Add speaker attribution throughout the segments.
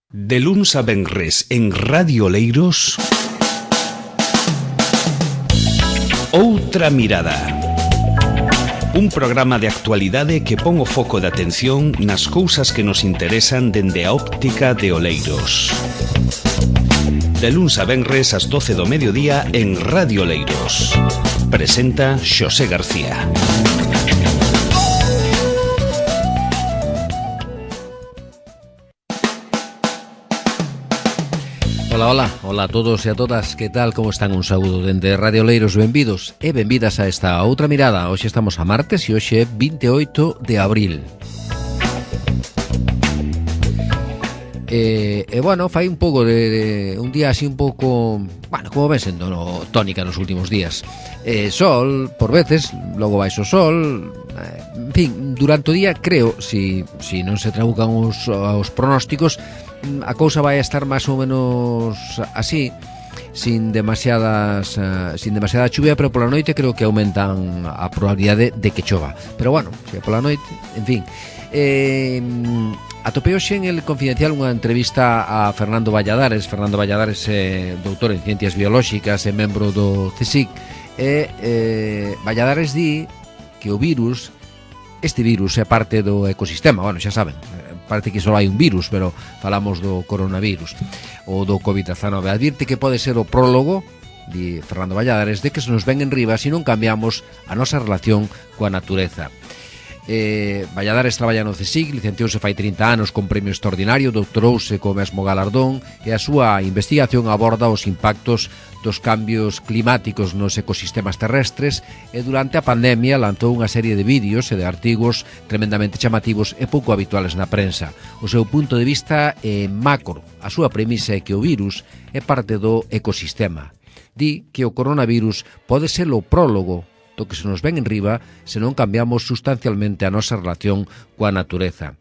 Speaker 1: De luns a venres en Radio Oleiros, Outra Mirada. Un programa de actualidade que pon o foco de atención nas cousas que nos interesan dende a óptica de Oleiros. De luns a venres ás 12 do mediodía en Radio Oleiros. Presenta Xosé García.
Speaker 2: Hola a todos e a todas, que tal, como están? Un saúdo dende Radio Oleiros, benvidos e benvidas a esta Outra Mirada. Hoxe estamos a martes e hoxe é 28 de abril. Bueno, fai un pouco de un día así un pouco, bueno, como ven sendo tónica nos últimos días. Sol, por veces, logo baixo sol, en fin, durante o día creo, si non se trabucan os pronósticos, a cousa vai estar máis ou menos así, sin demasiada chuvia, pero pola noite creo que aumentan a probabilidade de que chova. Pero bueno, se pola noite, en fin. Atopei hoxe en El Confidencial unha entrevista a Fernando Valladares. Fernando Valladares é doutor en Ciencias Biolóxicas e membro do CSIC. Valladares di que o virus, este virus é parte do ecosistema. Bueno, xa saben, parece que só hai un virus, pero falamos do coronavirus ou do COVID-19. Advirte que pode ser o prólogo, di Fernando Valladares, de que se nos ven en riba se non cambiamos a nosa relación coa natureza. Valladares traballa no CSIC, licenciouse fai 30 anos con premio extraordinario, doutorouse co mesmo galardón e a súa investigación aborda os impactos dos cambios climáticos nos ecosistemas terrestres e durante a pandemia lanzou unha serie de vídeos e de artigos tremendamente chamativos e pouco habituales na prensa. O seu punto de vista é macro. A súa premisa é que o virus é parte do ecosistema. Di que o coronavirus pode ser o prólogo do que se nos ven en riba se non cambiamos sustancialmente a nosa relación coa natureza.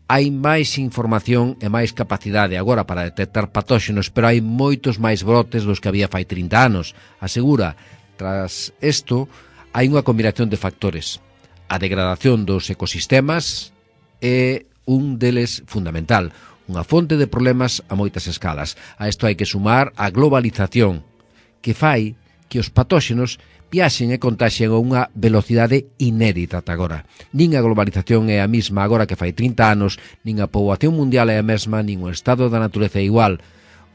Speaker 2: Hai máis información e máis capacidade agora para detectar patóxenos, pero hai moitos máis brotes dos que había fai 30 anos. Asegura, tras isto, hai unha combinación de factores. A degradación dos ecosistemas é un deles fundamental, unha fonte de problemas a moitas escalas. A isto hai que sumar a globalización, que fai que os patóxenos viaxen e contaxen a unha velocidade inédita ata agora. Nin a globalización é a mesma agora que fai 30 anos, nin a poboación mundial é a mesma, nin o estado da natureza é igual.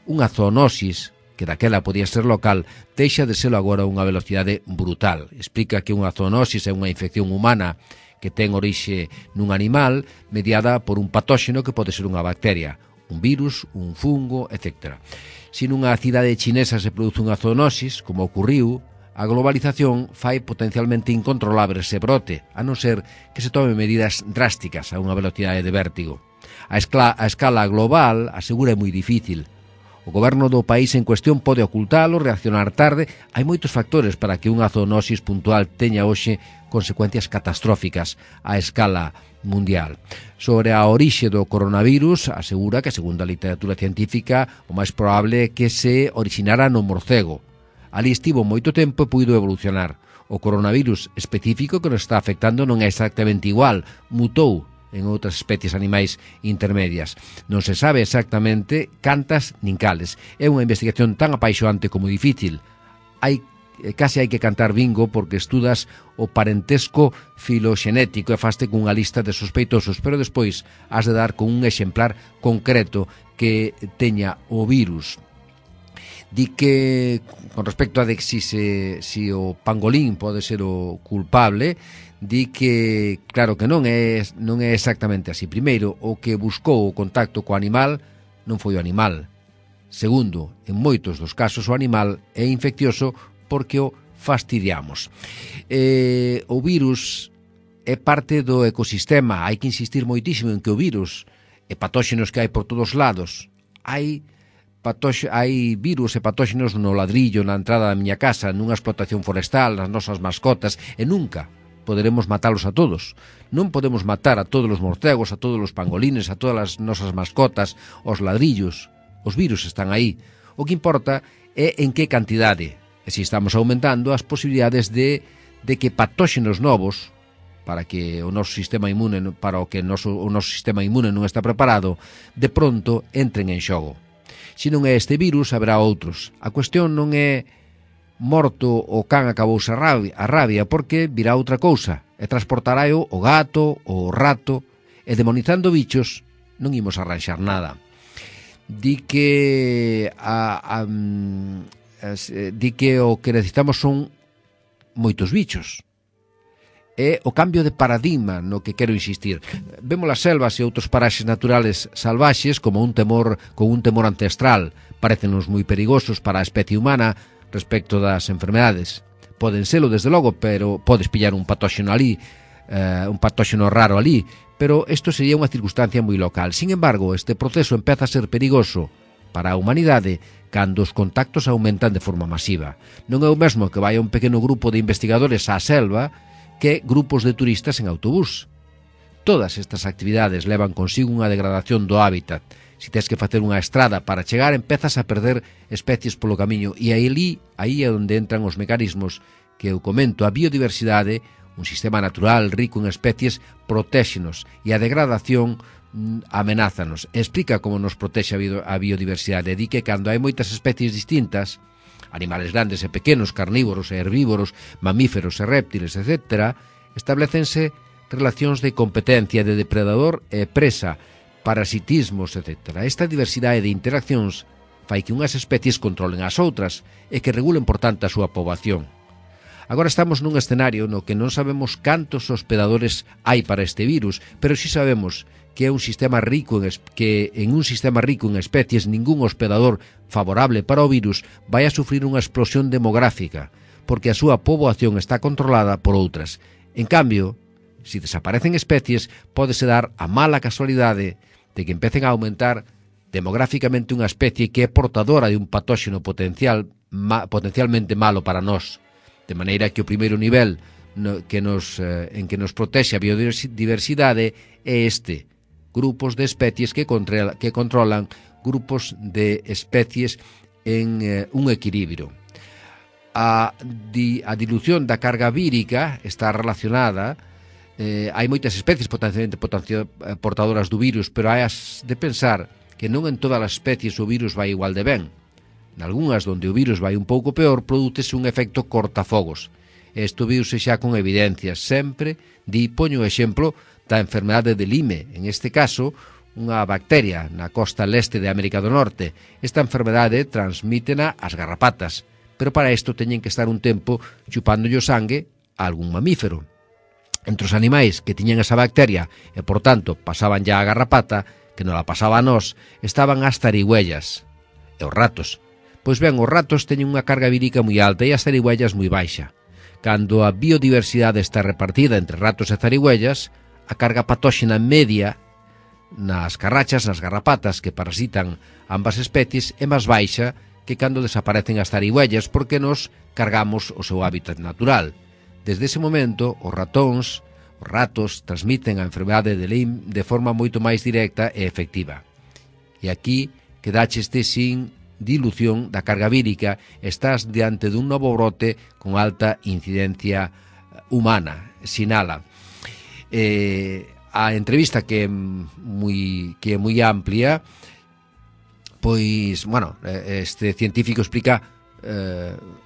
Speaker 2: Unha zoonosis, que daquela podía ser local, deixa de ser agora unha velocidade brutal. Explica que unha zoonosis é unha infección humana que ten orixe nun animal mediada por un patóxeno que pode ser unha bacteria, un virus, un fungo, etc. Se nunha cidade chinesa se produce unha zoonosis, como ocurriu, a globalización fai potencialmente incontrolable ese brote, a non ser que se tomen medidas drásticas a unha velocidade de vértigo. A escala global, asegura, é moi difícil. O goberno do país en cuestión pode ocultalo, reaccionar tarde. Hai moitos factores para que unha zoonosis puntual teña hoxe consecuencias catastróficas a escala mundial. Sobre a orixe do coronavirus, asegura que, segundo a literatura científica, o máis probable é que se originara no morcego. Ali estivo moito tempo e puido evolucionar. O coronavirus específico que nos está afectando non é exactamente igual, mutou en outras especies animais intermedias. Non se sabe exactamente cantas nin cales. É unha investigación tan apaixoante como difícil. Case hai que cantar bingo porque estudas o parentesco filoxenético e faste cunha lista de sospeitosos, pero despois has de dar con un exemplar concreto que teña o virus. Di que, con respecto a de si o pangolín pode ser o culpable, di que, claro que non é exactamente así. Primeiro, o que buscou o contacto co animal non foi o animal. Segundo, en moitos dos casos o animal é infeccioso porque o fastidiamos. O virus é parte do ecosistema. Hai que insistir moitísimo en que o virus e patóxenos que hai por todos lados. Hai virus e patóxenos no ladrillo, na entrada da miña casa, nunha explotación forestal, nas nosas mascotas, e nunca poderemos matalos a todos. Non podemos matar a todos os morcegos, a todos os pangolines, a todas as nosas mascotas, os ladrillos. Os virus están aí. O que importa é en que cantidade, e se estamos aumentando as posibilidades de que patóxenos novos para que o noso sistema imune o noso sistema imune non está preparado, de pronto entren en xogo. Se non é este virus, haberá outros. A cuestión non é morto o can acabouse a rabia, porque virá outra cousa e transportará o gato, o rato, e demonizando bichos non imos arranxar nada. Di que o que necesitamos son moitos bichos. É o cambio de paradigma no que quero insistir. Vemos as selvas e outros paraxes naturales salvaxes con un temor ancestral. Parécenos moi perigosos para a especie humana respecto das enfermedades. Poden selo, desde logo, pero podes pillar un patóxeno ali, un patóxeno raro ali, pero isto sería unha circunstancia moi local. Sin embargo, este proceso empeza a ser perigoso para a humanidade cando os contactos aumentan de forma masiva. Non é o mesmo que vai un pequeno grupo de investigadores á selva que grupos de turistas en autobús. Todas estas actividades levan consigo unha degradación do hábitat. Se tens que facer unha estrada para chegar, empezas a perder especies polo camiño, e aí é onde entran os mecanismos que eu comento. A biodiversidade, un sistema natural rico en especies, protéxenos, e a degradación amenázanos. Explica como nos protexe a biodiversidade. Di que cando hai moitas especies distintas, animales grandes e pequenos, carnívoros e herbívoros, mamíferos e réptiles, etc., establecense relacións de competencia de depredador e presa, parasitismos, etc. Esta diversidade de interaccións fai que unhas especies controlen as outras e que regulen, por tanto, a súa poboación. Agora estamos nun escenario no que non sabemos cantos hospedadores hai para este virus, pero si sabemos que é un sistema rico en un sistema rico en especies, ningún hospedador favorable para o virus vai a sufrir unha explosión demográfica, porque a súa poboación está controlada por outras. En cambio, se desaparecen especies, pódese dar a mala casualidade de que empecen a aumentar demográficamente unha especie que é portadora de un patóxeno potencialmente malo para nós, de maneira que o primeiro nivel en que nos protexe a biodiversidade é este: grupos de especies que controlan grupos de especies en un equilibrio. A dilución da carga vírica está relacionada. Hai moitas especies potencialmente portadoras do virus, pero hai de pensar que non en todas as especies o virus vai igual de ben. Nalgúnas onde o virus vai un pouco peor, prodúcese un efecto cortafogos. Isto viuse xa con evidencias. Sempre poño o exemplo da enfermedade de Lyme, en este caso unha bacteria na costa leste de América do Norte. Esta enfermedade transmítena as garrapatas, pero para isto teñen que estar un tempo chupándolle o sangue a algún mamífero. Entre os animais que tiñan esa bacteria e, por tanto, pasaban ya a garrapata, que non la pasaba a nós, estaban as zarigüellas e os ratos. Pois ben, os ratos teñen unha carga vírica moi alta e as zarigüellas moi baixa. Cando a biodiversidade está repartida entre ratos e zarigüellas, a carga patóxena media nas carrachas, nas garrapatas que parasitan ambas especies, é máis baixa que cando desaparecen as zarigüellas, porque nos cargamos o seu hábitat natural. Desde ese momento, os ratos transmiten a enfermedade de Lyme de forma moito máis directa e efectiva. E aquí quedácheste sin dilución da carga vírica, estás diante dun novo brote con alta incidencia humana, sinala. A entrevista que é moi amplia, pois, bueno, este científico explica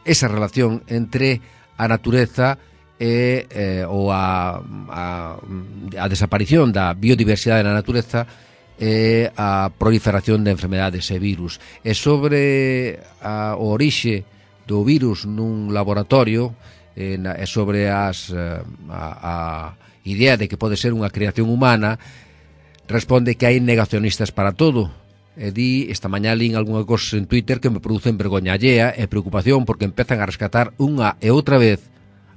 Speaker 2: esa relación entre a natureza e a desaparición da biodiversidade na natureza e a proliferación de enfermedades e virus. E sobre o orixe do virus nun laboratorio, e sobre a idea de que pode ser unha creación humana, responde que hai negacionistas para todo. E esta mañá lín algunha cosa en Twitter que me producen vergoña allea e preocupación, porque empezan a rescatar unha e outra vez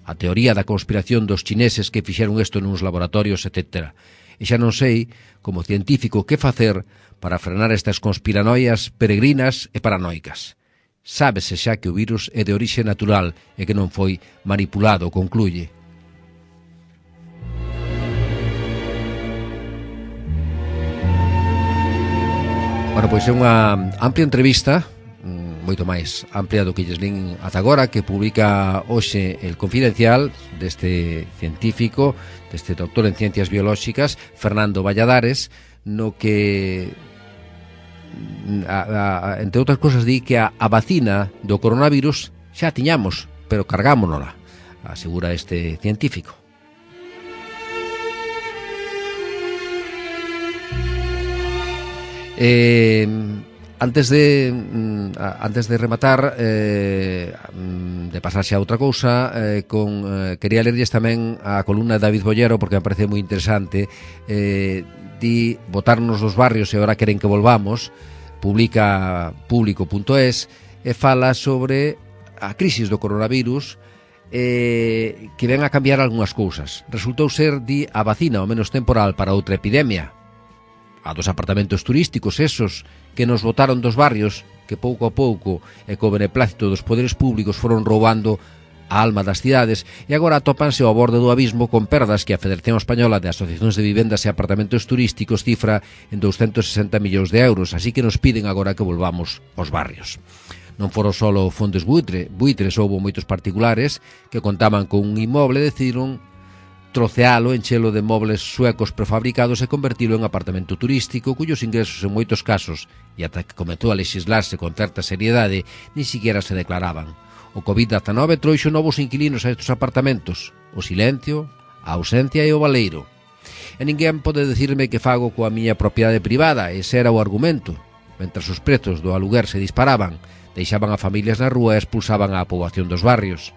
Speaker 2: a teoría da conspiración dos chineses que fixeron isto nuns laboratorios, etc. E xa non sei, como científico, que facer para frenar estas conspiranoias peregrinas e paranoicas. Sábese xa que o virus é de orixe natural e que non foi manipulado, concluye. Bueno, pois é unha amplia entrevista moito máis amplia do que lles lin ata agora, que publica hoxe El Confidencial, deste científico, deste doctor en ciencias biolóxicas, Fernando Valladares, no que entre outras cosas di que a vacina do coronavirus xa tiñamos, pero cargámonola, asegura este científico. Antes de rematar, de pasarse a outra cousa, quería lerlles tamén a columna de David Bollero, porque me parece moi interesante. Di botarnos dos barrios e agora queren que volvamos, publica público.es, e fala sobre a crisis do coronavirus, que ven a cambiar algunhas cousas. Resultou ser, di, a vacina o menos temporal para outra epidemia, a dos apartamentos turísticos esos que nos botaron dos barrios, que pouco a pouco e co beneplácito dos poderes públicos foron roubando a alma das cidades, e agora atópanse ao borde do abismo con perdas que a Federación Española de Asociacións de Vivendas e Apartamentos Turísticos cifra en 260 millóns de euros, así que nos piden agora que volvamos aos barrios. Non foron só fondos buitres, houbo moitos particulares que contaban con un inmoble e decidiron trocealo, enchelo de mobles suecos prefabricados e convertilo en apartamento turístico, cuyos ingresos en moitos casos, e ata que comezou a lexislarse con certa seriedade, ni siquiera se declaraban. O COVID-19 trouxo novos inquilinos a estes apartamentos, o silencio, a ausencia e o baleiro. E ninguén pode decirme que fago coa miña propiedade privada, ese era o argumento. Mentras os prezos do aluguer se disparaban, deixaban a familias na rúa e expulsaban a poboación dos barrios.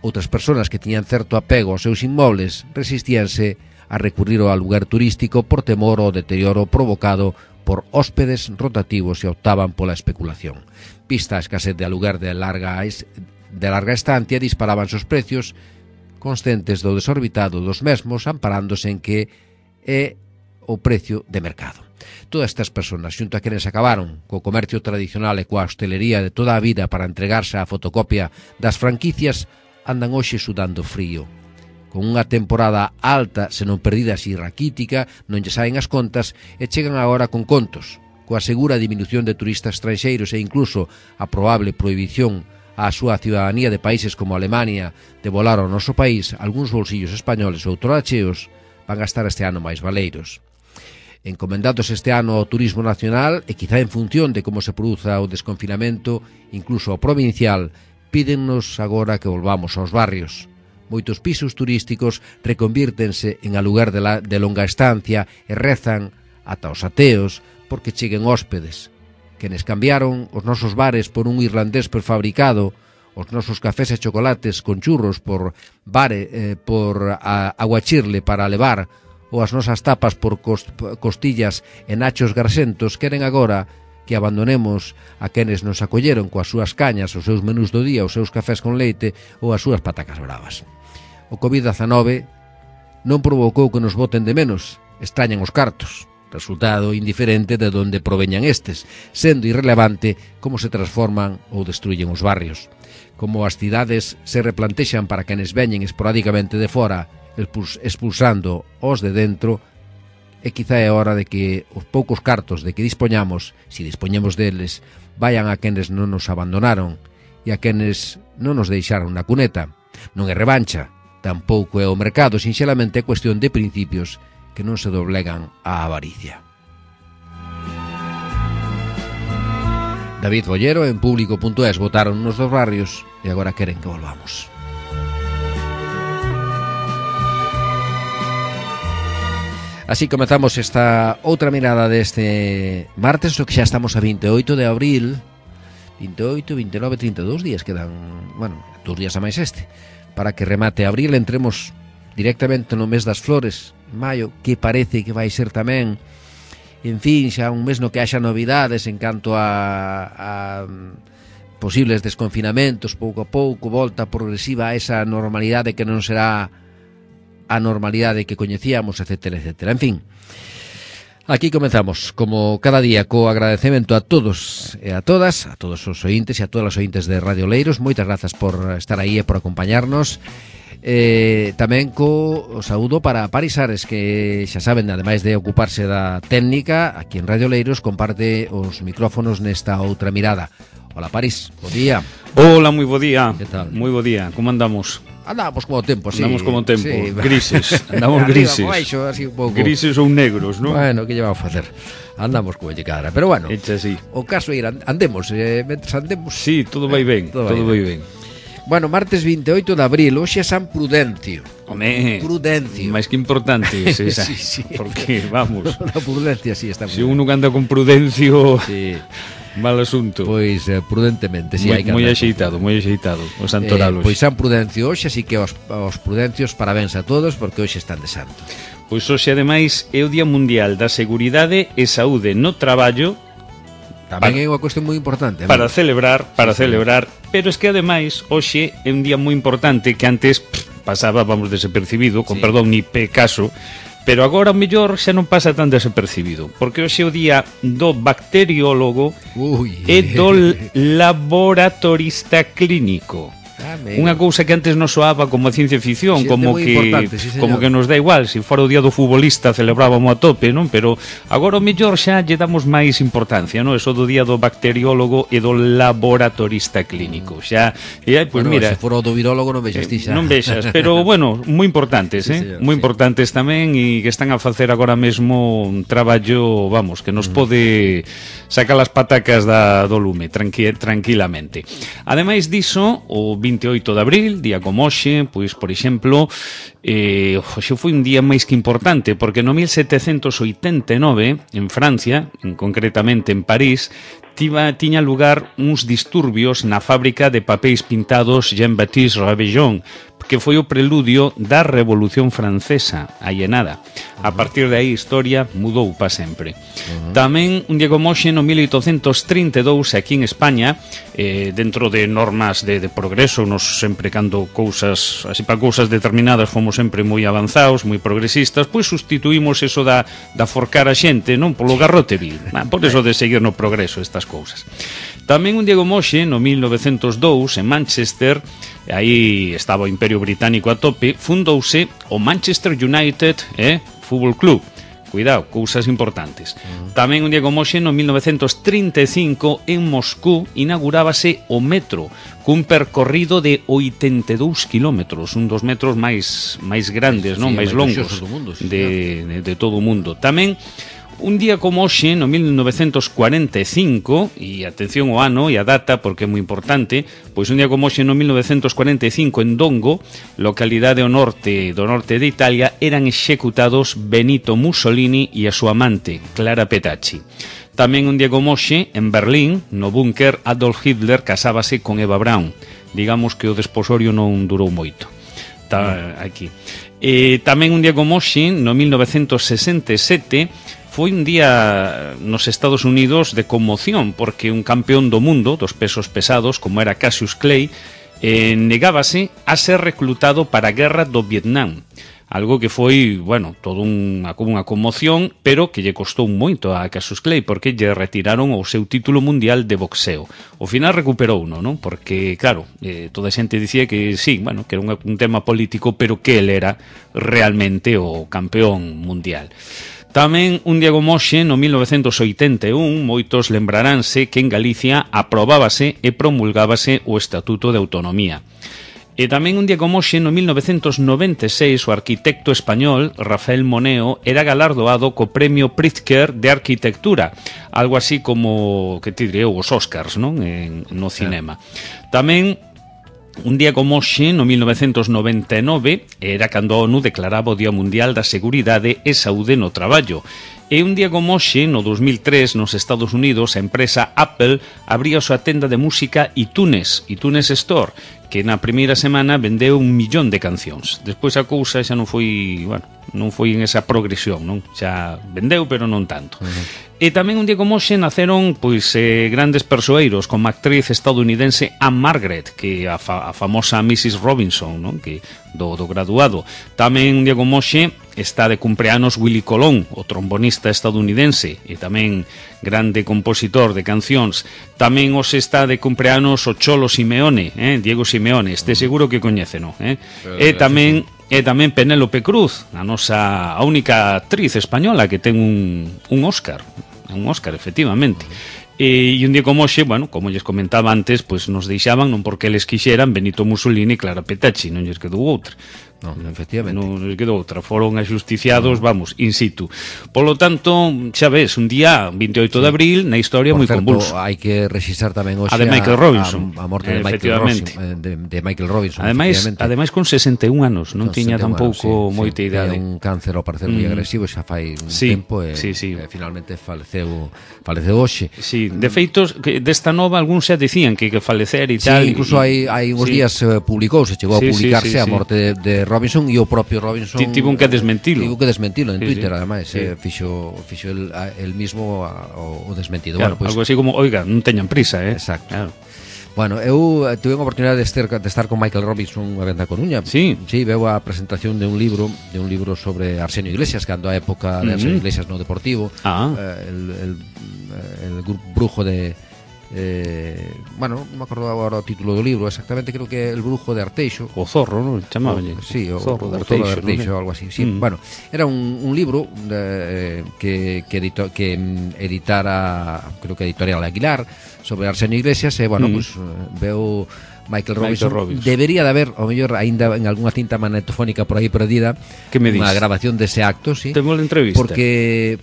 Speaker 2: Outras persoas que tiñan certo apego aos seus inmobles resistíanse a recurrir ao aluguer turístico por temor ao deterioro provocado por hóspedes rotativos e optaban pola especulación. Vista a escasez de aluguer de larga estancia, disparábanse os precios, conscientes do desorbitado dos mesmos, amparándose en que é o precio de mercado. Todas estas persoas, xunto a quenes acabaron co comercio tradicional e coa hostelería de toda a vida para entregarse á fotocopia das franquicias, andan hoxe sudando frío. Con unha temporada alta, senón perdida así raquítica, non lle saen as contas e chegan agora con contos, coa segura diminución de turistas estranxeiros e incluso a probable prohibición á súa ciudadanía de países como Alemania de volar ao noso país, algúns bolsillos españoles ou toracheos van a estar este ano máis valeiros. Encomendados este ano ao turismo nacional e quizá en función de como se produza o desconfinamento, incluso ao provincial, pídennos agora que volvamos aos barrios. Moitos pisos turísticos reconvírtense en aluguer de longa estancia e rezan ata os ateos porque cheguen hóspedes. Quenes cambiaron os nosos bares por un irlandés prefabricado, os nosos cafés e chocolates con churros por aguachirle para levar, ou as nosas tapas por costillas e nachos garsentos, queren agora que abandonemos a quenes nos acolleron coas súas cañas, os seus menús do día, os seus cafés con leite ou as súas patacas bravas. O COVID-19 non provocou que nos boten de menos, extrañan os cartos, resultado indiferente de onde proveñan estes, sendo irrelevante como se transforman ou destruyen os barrios. Como as cidades se replantexan para quenes veñen esporádicamente de fora, expulsando os de dentro, e quizá é hora de que os poucos cartos de que dispoñamos, si dispoñemos deles, vayan a quenes non nos abandonaron e a quenes non nos deixaron na cuneta. Non é revancha, tampouco é o mercado, sinxelamente é cuestión de principios que non se doblegan á avaricia. David Bollero en público.es: votaron nos dos barrios e agora queren que volvamos. Así comezamos esta outra mirada deste martes, o que xa estamos a 28 de abril. 28, 29, 32 días quedan, bueno, 2 días a máis este, para que remate abril, entremos directamente no mes das flores, maio, que parece que vai ser tamén, en fin, xa un mes no que haxa novidades en canto a posibles desconfinamentos, pouco a pouco, volta progresiva a esa normalidade que non será a normalidade que coñecíamos, etcétera, etcétera. En fin, aquí comenzamos, como cada día, co agradecemento a todos e a todas, a todos os ointes e a todas as ointes de Radio Oleiros. Moitas grazas por estar aí e por acompañarnos. Tamén co saúdo para Paris Ares, que xa saben, ademais de ocuparse da técnica, aquí en Radio Oleiros comparte os micrófonos nesta outra mirada. Hola Paris, bo día.
Speaker 1: Hola, moi bo día.
Speaker 2: Que tal?
Speaker 1: Moi bo día, como andamos?
Speaker 2: Andamos como tempo, sí.
Speaker 1: Andamos como tempo,
Speaker 2: sí.
Speaker 1: Grises, andamos grises.
Speaker 2: Baixo, así un pouco.
Speaker 1: Grises ou negros, non?
Speaker 2: Bueno, que lle vamos a facer? Andamos como lle cadra, pero bueno.
Speaker 1: Echa así.
Speaker 2: O caso é ir, andemos, mentres andemos.
Speaker 1: Sí, todo vai ben, todo vai ben.
Speaker 2: Bueno, martes 28 de abril, hoxe é San Prudencio.
Speaker 1: Home,
Speaker 2: Prudencio.
Speaker 1: máis que importante esa,
Speaker 2: sí.
Speaker 1: porque, vamos,
Speaker 2: Na prudencia, sí, está
Speaker 1: se uno anda con prudencio,
Speaker 2: sí.
Speaker 1: mal asunto.
Speaker 2: Pois prudentemente, si hai que
Speaker 1: moi
Speaker 2: andar.
Speaker 1: axeitado, o santoralos.
Speaker 2: Pois San Prudencio hoxe, así que aos prudencios parabéns a todos, porque hoxe están de santo.
Speaker 1: Pois hoxe, ademais, é o Día Mundial da Seguridade e Saúde no Traballo.
Speaker 2: Tamén é unha cuestión moi importante.
Speaker 1: Para celebrar, pero es que ademais hoxe é un día moi importante que antes pasaba, vamos, desapercibido, con perdón, ni caso, pero agora o mellor xa non pasa tan desapercibido, porque hoxe é o día do bacteriólogo e do laboratorista clínico. Unha cousa que antes nos soaba como a ciencia ficción, como que nos dá igual, se fora o día do futbolista celebrábamos a tope, non? Pero agora o mellor xa lle damos máis importancia, non? Eso do día do bacteriólogo e do laboratorista clínico. Xa, pois mira,
Speaker 2: se fora o do virólogo non vexas ti xa.
Speaker 1: Non vexas, pero bueno, moi importantes, moi importantes tamén, e que están a facer agora mesmo un traballo, vamos, que nos pode sacar as patacas do lume tranquilamente. Ademais diso, o 28 de abril, día como hoxe, pois, por exemplo, hoxe foi un día máis que importante, porque no 1789, en Francia, concretamente en París, tiña lugar uns disturbios na fábrica de papéis pintados Jean-Baptiste Rabelais, que foi o preludio da Revolución Francesa, aí e nada. A partir de aí a historia mudou para sempre. Tamén un día como hoxe, no 1832, aquí en España, dentro de normas de progreso, nos sempre cando cousas, así para cousas determinadas, fomos sempre moi avanzados, moi progresistas, pois sustituímos eso da forcar a xente, non, polo garrote vil, por eso de seguir no progreso estas cousas. Tamén un día como hoxe, no 1902, en Manchester, aí estaba o Imperio Británico a tope, fundouse o Manchester United Fútbol Club. Cuidado, cousas importantes. Tamén un día como hoxe, no 1935, en Moscú, inaugurábase o metro, cun percorrido de 82 kilómetros, un dos metros máis grandes, non, máis longos de todo o mundo. Tamén un día como hoxe, no 1945, e atención ao ano e a data porque é moi importante, pois un día como hoxe no 1945 en Dongo, localidade do norte de Italia, eran executados Benito Mussolini e a súa amante, Clara Petacci. Tamén un día como hoxe, en Berlín, no búnker, Adolf Hitler casábase con Eva Braun. Digamos que o desposorio non durou moito. Aquí. Tamén un día como hoxe, no 1967, foi un día nos Estados Unidos de conmoción, porque un campeón do mundo dos pesos pesados, como era Cassius Clay, negábase a ser reclutado para a guerra do Vietnam. Algo que foi, bueno, todo unha conmoción, pero que lle costou moito a Cassius Clay, porque lle retiraron o seu título mundial de boxeo. Ao final recuperouno, non? Porque, claro, toda a xente dicía que sí, bueno, que era un tema político, pero que ele era realmente o campeón mundial. Tamén un día como hoxe, no 1981, moitos lembraránse que en Galicia aprobábase e promulgábase o Estatuto de Autonomía. E tamén un día como hoxe, no 1996, o arquitecto español Rafael Moneo era galardoado co Premio Pritzker de Arquitectura, algo así como, que te diré, os Oscars, non? No cinema. Tamén un día como hoxe, no 1999, era cando a ONU declaraba o Día Mundial da Seguridade e Saúde no Traballo. E un día como hoxe, no 2003, nos Estados Unidos, a empresa Apple abría a súa tenda de música iTunes Store, que na primeira semana vendeu 1 millón de cancións. Despois a cousa xa non foi, bueno, non foi en esa progresión, non? Xa vendeu, pero non tanto. E tamén un día como hoxe naceron pois grandes persoeiros, como a actriz estadounidense Anne Margaret, que a famosa Mrs. Robinson, non? Que do graduado. Tamén, Diego Moxe, está de cumpleanos Willy Colón, o trombonista estadounidense e tamén grande compositor de cancións. Tamén os está de cumpleanos o Cholo Simeone, Diego Simeone, este seguro que coñéceno, e tamén Penélope Cruz, a única actriz española que ten un Óscar, efectivamente. E un día como hoxe, bueno, como lles comentaba antes, pois nos deixaban, non porque eles quixeran, Benito Mussolini e Clara Petacci, non lles quedou outra.
Speaker 2: Non, efectivamente.
Speaker 1: Non lles quedou outra, foron axusticiados, vamos, in situ. Polo tanto, xa ves, un día 28 de abril, na historia moi convulso.
Speaker 2: Hai que registrar tamén hoxe
Speaker 1: a de Michael Robinson,
Speaker 2: a morte de Michael Robinson.
Speaker 1: Ademais con 61 anos, non tiña tampouco moita idade.
Speaker 2: Tiña un cáncer ao parecer moi agresivo, xa fai un tempo e finalmente faleceu hoxe.
Speaker 1: Sí, de feitos, desta nova algúns xa dicían que falecer e tal.
Speaker 2: Sí, incluso hai uns días publicouse, chegou a publicarse a morte de Robinson, e o propio Robinson
Speaker 1: tivo que desmentilo
Speaker 2: en Twitter, ademais fixo el mismo o desmentido,
Speaker 1: claro, algo así como, oiga, non teñan prisa,
Speaker 2: exacto, claro. Bueno, eu tuve a oportunidade de estar con Michael Robinson unha vez na Coruña.
Speaker 1: Sí,
Speaker 2: veu a presentación de un libro sobre Arsenio Iglesias, cando a época de Arsenio Iglesias no Deportivo, el brujo de bueno, non me acordo agora o título do libro exactamente, creo que El brujo de Arteixo,
Speaker 1: o Zorro, non? Chamaban
Speaker 2: sí, o
Speaker 1: Zorro de
Speaker 2: Arteixo, algo así, sí. Bueno, era un libro que editara, creo que Editorial Aguilar, sobre Arsenio Iglesias, e bueno, pues veo Michael Robinson. Debería de haber, ao mellor, aínda en algunha cinta magnetofónica por aí perdida, unha grabación dese acto, sí.
Speaker 1: Temos a entrevista.
Speaker 2: Porque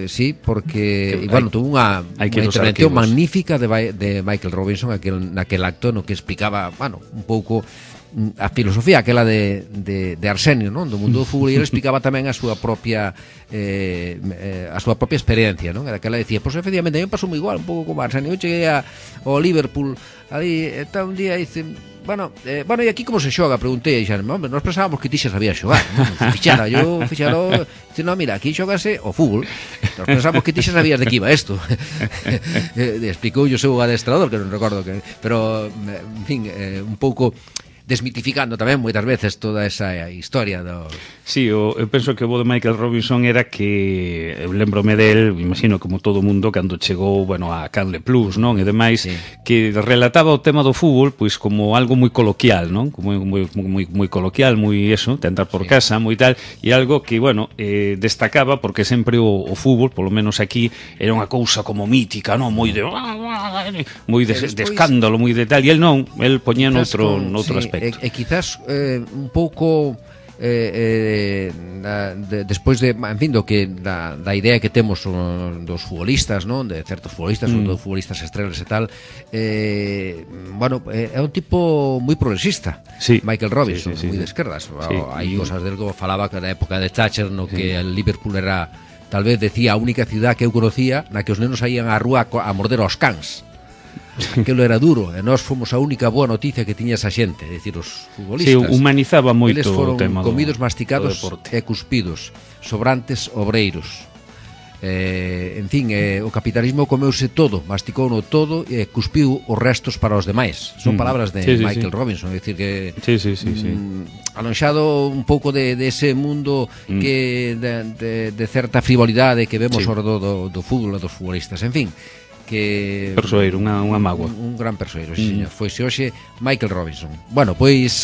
Speaker 2: sí, porque bueno, tuvo unha intervención magnífica de Michael Robinson naquel acto no que explicaba, bueno, un pouco a filosofía aquela de Arsenio, non? Do mundo do fútbol, e ele explicaba tamén a súa propia experiencia, non? Aquela decía, pois efectivamente, a mí me pasou moi igual, un pouco como Arsenio. Eu cheguei ao Liverpool ali, está un día, dice, bueno, e aquí como se xoga? Preguntei, xa, hombre, nós pensábamos que ti xa sabías xogar, non? Fixaro, dice, non, mira, aquí xogase o fútbol, nós pensamos que ti xa sabías de que iba isto. Explicou o seu adestrador, que non recordo que, pero, en fin, un pouco desmitificando tamén moitas veces toda esa historia do...
Speaker 1: Sí, eu penso que o bo de Michael Robinson era que eu lembrome del, imagino como todo o mundo cando chegou, bueno, a Canle Plus, non? E demais, que relataba o tema do fútbol pois como algo moi coloquial, non? Como moi coloquial, moi eso, de andar por casa, moi tal, e algo que, bueno, destacaba porque sempre o fútbol, polo menos aquí, era unha cousa como mítica, non? Moi de escándalo, moi de tal, e el non, el poñía noutro aspecto.
Speaker 2: E quizás un pouco despois de, en fin, da idea que temos dos futbolistas, non? De certos futbolistas, sobre todo futbolistas estrelas e tal, bueno, é un tipo moi progresista, Michael Robinson, moi de esquerdas. Hai cosas del que falaba que da época de Thatcher, no que el Liverpool era, tal vez decía, a única ciudad que eu conocía na que os nenos saían á rúa a morder aos cans. Aquilo era duro, e nós fomos a única boa noticia que tiña esa xente, é dicir, os futbolistas.
Speaker 1: Sí, humanizaba moito o tema
Speaker 2: do comidos, masticados e cuspidos, sobrantes obreiros. En fin, o capitalismo comeuse todo, masticouno todo e cuspiu os restos para os demais. Son palabras de Michael Robinson, é dicir que alonxado un pouco de ese mundo que de certa frivolidade que vemos ao redor do fútbol e dos futbolistas, en fin, que
Speaker 1: persoeiro, unha mágoa.
Speaker 2: Un gran persoeiro, sí, señor. Foise hoxe Michael Robinson. Bueno, pois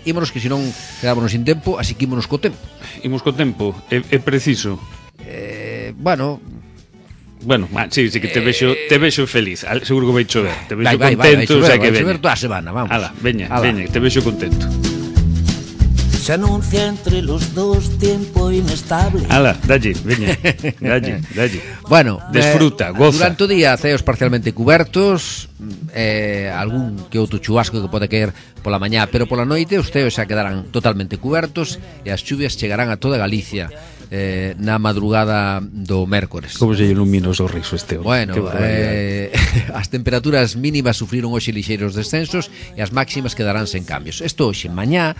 Speaker 2: ímonos, que senón quedámonos sin tempo, así que ímonos co tempo.
Speaker 1: Imos co tempo, é preciso.
Speaker 2: Bueno,
Speaker 1: sí, que te vexo feliz. Seguro que vai chover. Te vexo contento, o sea que veña.
Speaker 2: Vai chover toda a semana, vamos.
Speaker 1: Veña, te vexo contento.
Speaker 3: Se anuncia entre los dos tiempo inestable.
Speaker 1: Dalle, veña, dalle.
Speaker 2: Bueno,
Speaker 1: desfruta, goza.
Speaker 2: Durante o día ceos parcialmente cubertos, algún que outro chubasco que pode caer pola mañá, pero pola noite os ceos xa quedarán totalmente cubertos e as chuvias chegarán a toda Galicia. na madrugada do mércores.
Speaker 1: Como se ilumina o sorriso este home?
Speaker 2: Bueno, as temperaturas mínimas sufriron hoxe lixeiros descensos e as máximas quedarán sen cambios. Isto hoxe, mañá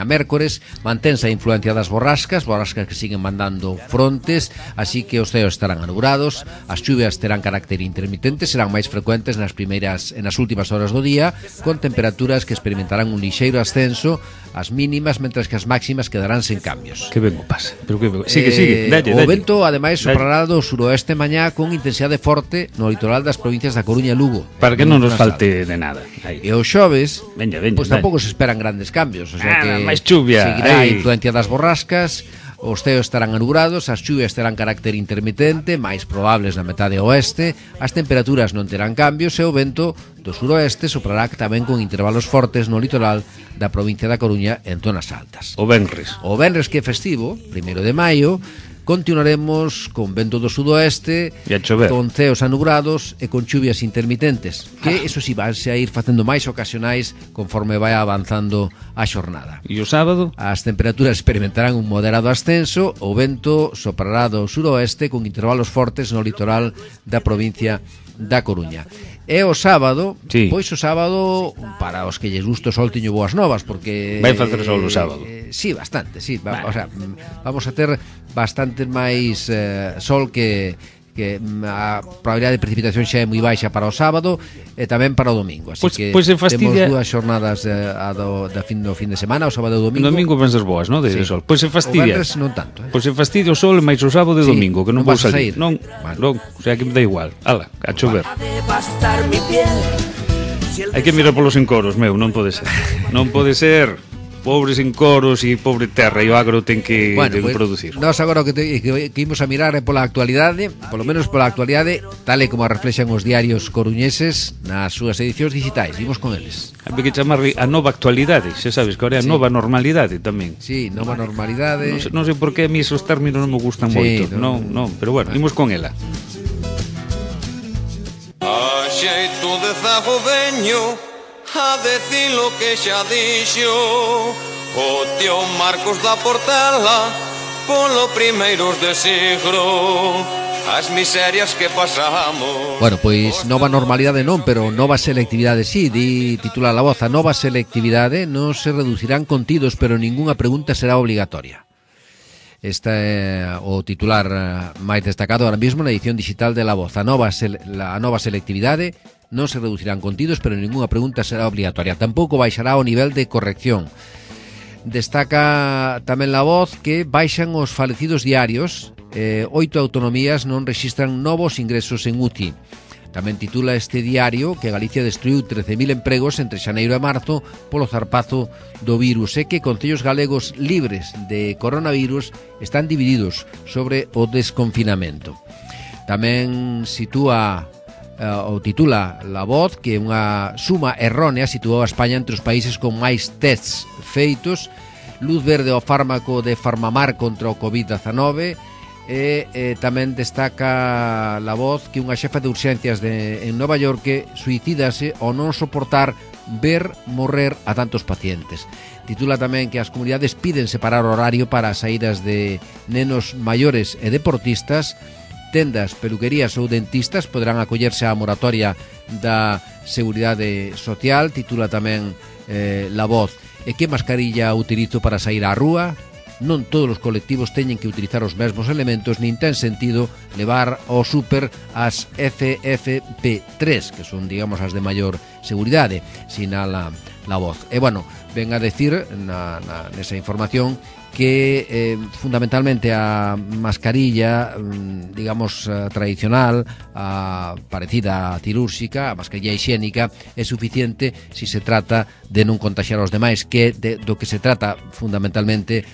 Speaker 2: mércores, mantense a influencia das borrascas que siguen mandando frontes, así que os ceos estarán anublados, as chuvias terán carácter intermitente, serán máis frecuentes nas últimas horas do día, con temperaturas que experimentarán un lixeiro ascenso as mínimas, mentras que as máximas quedarán sen cambios.
Speaker 1: Que ben o pase. Pero que sigue, dalle.
Speaker 2: O vento, ademais, soprará do suroeste mañá con intensidade forte no litoral das provincias da Coruña e Lugo.
Speaker 1: Para que non nos falte de nada. Aí.
Speaker 2: E o xoves,
Speaker 1: pois
Speaker 2: tampouco se esperan grandes cambios, o sea que
Speaker 1: máis chuvia.
Speaker 2: Seguirá a influencia das borrascas, os ceos estarán anublados, as chuvias terán carácter intermitente, máis probables na metade oeste, as temperaturas non terán cambios e o vento do suroeste soprará tamén con intervalos fortes no litoral da provincia da Coruña en zonas altas.
Speaker 1: O venres
Speaker 2: que é festivo, 1 de maio, continuaremos con vento do sudoeste, con ceos anubrados e con chuvias intermitentes, que eso si vanse a ir facendo máis ocasionais conforme vai avanzando a xornada.
Speaker 1: E o sábado?
Speaker 2: As temperaturas experimentarán un moderado ascenso, o vento soprará do suroeste con intervalos fortes no litoral da provincia da Coruña. E o sábado, pois o sábado, para os que lles gusta o sol, teño boas novas, porque
Speaker 1: vai facer sol o sábado.
Speaker 2: Sí, bastante, sí. O sea, vamos a ter bastante máis sol que a probabilidade de precipitación xa é moi baixa para o sábado e tamén para o domingo, así que temos dúas xornadas do fin de semana, o sábado e o domingo.
Speaker 1: O domingo van ser boas, non? De sol. Pois se fastidia.
Speaker 2: O venres non tanto,
Speaker 1: Pois se fastidia o sol máis o sábado e o domingo, que non vou salir. Non, o sea que me dá igual. Ala, a chover. Hai que mirar polos encoros, non pode ser. Non pode ser. Pobres encoros e pobre terra, e o agro ten que producir.
Speaker 2: Nós agora que imos a mirar é pola actualidade, polo menos pola actualidade, tal e como a reflexan os diarios coruñeses nas súas edicións digitais. Vimos con eles.
Speaker 1: Hai que chamarle a nova actualidade, xa sabes que ahora é a nova normalidade tamén.
Speaker 2: Sí, nova normalidade.
Speaker 1: Non sei por que a mí esos términos non me gustan moito. Non, pero bueno, imos con ela.
Speaker 4: A xeito de zago veño a decir lo que xa dixo o tío Marcos da Portela polo primeiros de siglo as miserias que pasamos.
Speaker 2: Bueno, pois nova normalidade non, pero nova selectividade sí, titula La Voz, a nova selectividade non se reducirán contidos, pero ningunha pregunta será obligatoria. Este é o titular máis destacado ahora mesmo na edición digital de La Voz. A nova selectividade non se reducirán contidos, pero ningunha pregunta será obligatoria. Tampouco baixará o nivel de corrección. Destaca tamén La Voz que baixan os falecidos diarios, 8 autonomías non rexistran novos ingresos en UTI. Tamén titula este diario que Galicia destruiu 13.000 empregos entre xaneiro e marzo polo zarpazo do virus e que concellos galegos libres de coronavirus están divididos sobre o desconfinamento. Tamén sitúa ou titula La Voz que unha suma errónea situou a España entre os países con máis tests feitos, luz verde ao fármaco de Farmamar contra o COVID-19 e tamén destaca La Voz que unha xefa de urxencias en Nova York suicídase ao non soportar ver morrer a tantos pacientes. Titula tamén que as comunidades piden separar o horario para as saídas de nenos maiores e deportistas. Tendas, peluquerías ou dentistas poderán acollerse á moratoria da Seguridade Social. Titula tamén La Voz. E que mascarilla utilizo para sair á rúa? Non todos os colectivos teñen que utilizar os mesmos elementos, nin ten sentido levar ao súper as FFP3, que son, digamos, as de maior seguridade, sinala La Voz. E, bueno, ven a decir nesa información que fundamentalmente a mascarilla, digamos, tradicional, parecida a cirúrxica, a mascarilla higiénica, é suficiente se se trata de non contaxiar aos demais, que do que se trata fundamentalmente,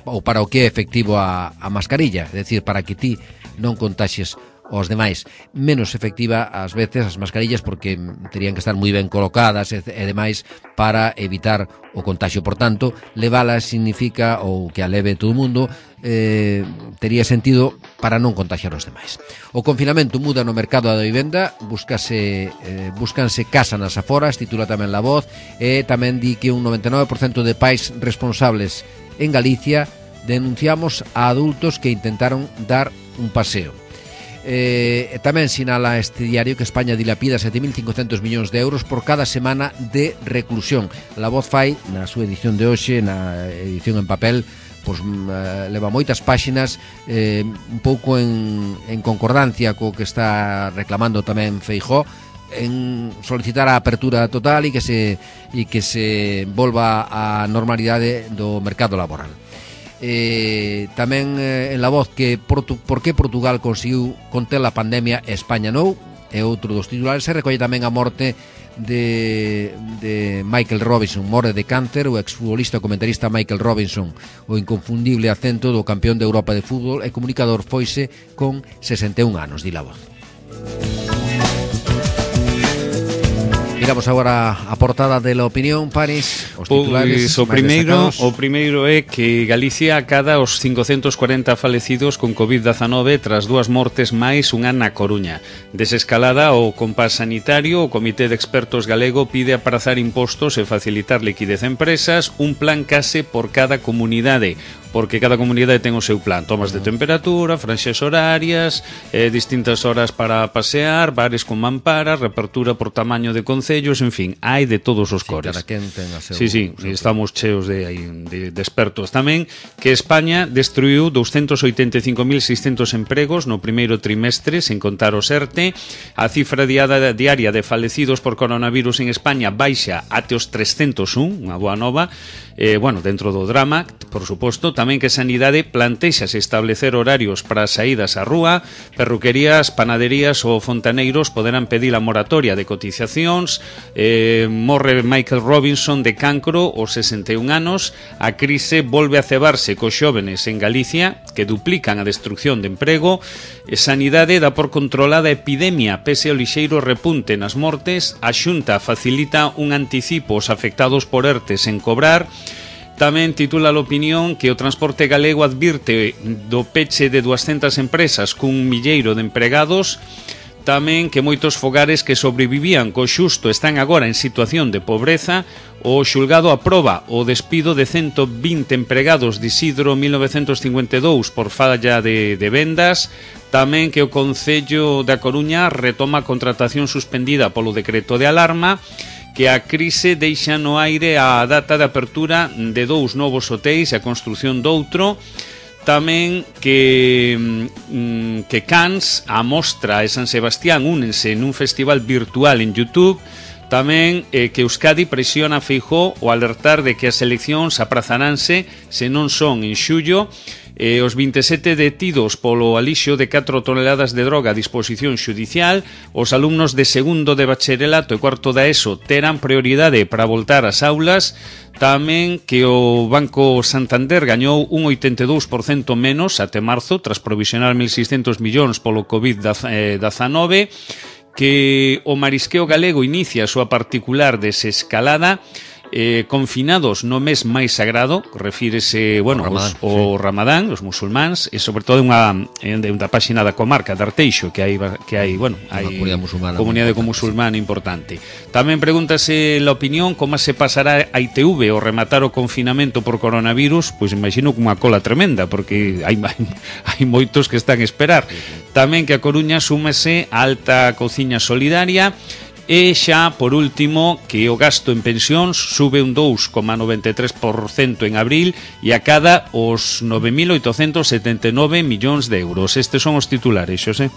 Speaker 2: ou para o que é efectivo a mascarilla, é dicir, para que ti non contaxes aos demais. Menos efectiva ás veces as mascarillas porque terían que estar moi ben colocadas e demais para evitar o contagio. Por tanto, leválas significa, ou que a leve todo o mundo, tería sentido para non contagiar os demais. O confinamento muda no mercado da vivenda, búscanse casa nas aforas, titula tamén La Voz, e tamén di que un 99% de pais responsables en Galicia denunciamos a adultos que intentaron dar un paseo. Tamén sinala este diario que España dilapida 7.500 millóns de euros por cada semana de reclusión. La Voz fai, na súa edición de hoxe, na edición en papel, pois leva moitas páxinas, un pouco en concordancia co que está reclamando tamén Feijóo, en solicitar a apertura total e que se volva a normalidade do mercado laboral. Tamén en La Voz que por que Portugal conseguiu conter a pandemia e España non, é outro dos titulares. Se recolle tamén a morte de Michael Robinson, morre de cáncer. O exfutbolista comentarista Michael Robinson, o inconfundible acento do campeón de Europa de fútbol e comunicador, foise con 61 anos, di La Voz. Miramos agora a portada de La Opinión, Paris, os titulares.
Speaker 1: Pois, o primeiro é que Galicia acada os 540 falecidos con Covid-19 tras 2 mortes máis unha na Coruña. Desescalada o compás sanitario, o Comité de Expertos galego pide aprazar impostos e facilitar liquidez a empresas, un plan case por cada comunidade, porque cada comunidade ten o seu plan, tomas de temperatura, franxas horarias, distintas horas para pasear, bares con mamparas, reapertura por tamaño de concellos, en fin, hai de todos os cores.
Speaker 2: Cada quen ten a seu...
Speaker 1: Sí, estamos cheos de expertos. Tamén que España destruiu 285.600 empregos no primeiro trimestre, sen contar o ERTE. A cifra diaria de falecidos por coronavirus en España baixa até os 301, unha boa nova. Dentro do drama, por suposto. Tamén que Sanidade plantexase establecer horarios para saídas á rúa, perruquerías, panaderías ou fontaneiros poderán pedir a moratoria de cotizacións. Morre Michael Robinson de cancro aos 61 anos. A crise volve a cebarse cos xóvenes en Galicia, que duplican a destrucción de emprego. Sanidade dá por controlada a epidemia pese ao lixeiro repunte nas mortes. A Xunta facilita un anticipo aos afectados por ERTE sen cobrar. Tamén titula a Opinión que o transporte galego advirte do peche de 200 empresas cun milleiro de empregados. Tamén que moitos fogares que sobrevivían co xusto están agora en situación de pobreza. O xulgado aproba o despido de 120 empregados de Isidro 1952 por falla de vendas. Tamén que o Concello da Coruña retoma a contratación suspendida polo decreto de alarma. Que a crise deixa no aire a data de apertura de 2 novos hotéis e a construción doutro. Tamén que Cans, a Mostra e San Sebastián únense nun festival virtual en YouTube. Tamén que Euskadi presiona a Feijóo o alertar de que as eleccións aprazaránse se non son en xullo. Os 27 detidos polo alixo de 4 toneladas de droga a disposición xudicial. Os alumnos de segundo de bacharelato e cuarto da ESO terán prioridade para voltar ás aulas. Tamén que o Banco Santander gañou un 82% menos até marzo tras provisionar 1.600 millóns polo COVID-19. Que o marisqueo galego inicia a súa particular desescalada. Confinados no mes máis sagrado, refírese, o Ramadán, os musulmáns, e sobre todo unha páxina da comarca de Arteixo, que hai comunidade musulmana importante. Tamén pregúntase a Opinión como se pasará a ITV ao rematar o confinamento por coronavirus. Pois imagino que unha cola tremenda, porque hai moitos que están a esperar. Tamén que a Coruña súmese a alta cociña solidaria. E xa, por último, que o gasto en pensións sube un 2,93% en abril e acada os 9.879 millóns de euros. Estes son os titulares, Xosé.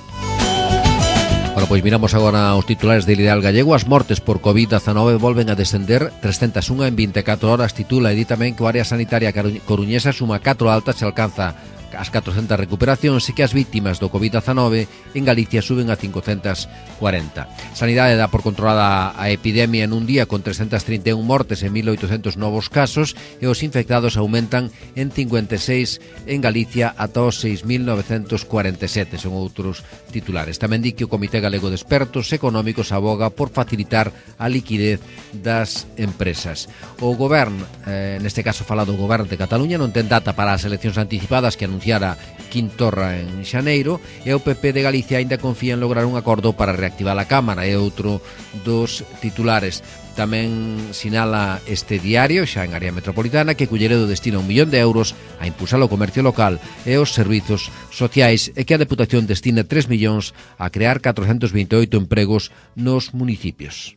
Speaker 2: Bueno, pois miramos agora os titulares del Ideal Gallego. As mortes por COVID-19 volven a descender 301 en 24 horas. Titula e di tamén que o área sanitaria coruñesa suma 4 altas e alcanza as 400 recuperacións e que as vítimas do COVID-19 en Galicia suben a 540. Sanidade dá por controlada a epidemia en un día con 331 mortes e 1.800 novos casos e os infectados aumentan en 56 en Galicia ata os 6.947. Son outros titulares. Tamén di que o Comité Galego de Expertos Económicos aboga por facilitar a liquidez das empresas. O Goberno, neste caso falado o Goberno de Cataluña, non ten data para as eleccións anticipadas que anunciou anunciara Quintorra en xaneiro, e o PP de Galicia aínda confía en lograr un acordo para reactivar a Cámara. É outro dos titulares. Tamén sinala este diario, xa en área metropolitana, que Culleredo destina 1 millón de euros a impulsar o comercio local e os servizos sociais, e que a Deputación destina 3 millóns a crear 428 empregos nos municipios.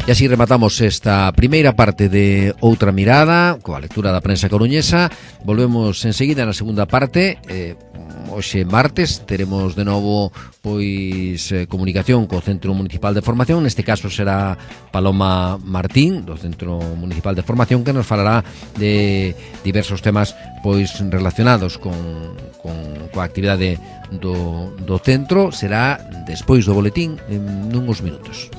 Speaker 2: E así rematamos esta primeira parte de Outra Mirada coa lectura da prensa coruñesa. Volvemos enseguida na segunda parte. Hoxe martes teremos de novo comunicación co Centro Municipal de Formación. Neste caso será Paloma Martín do Centro Municipal de Formación, que nos falará de diversos temas relacionados coa actividade do centro. Será despois do boletín en uns minutos.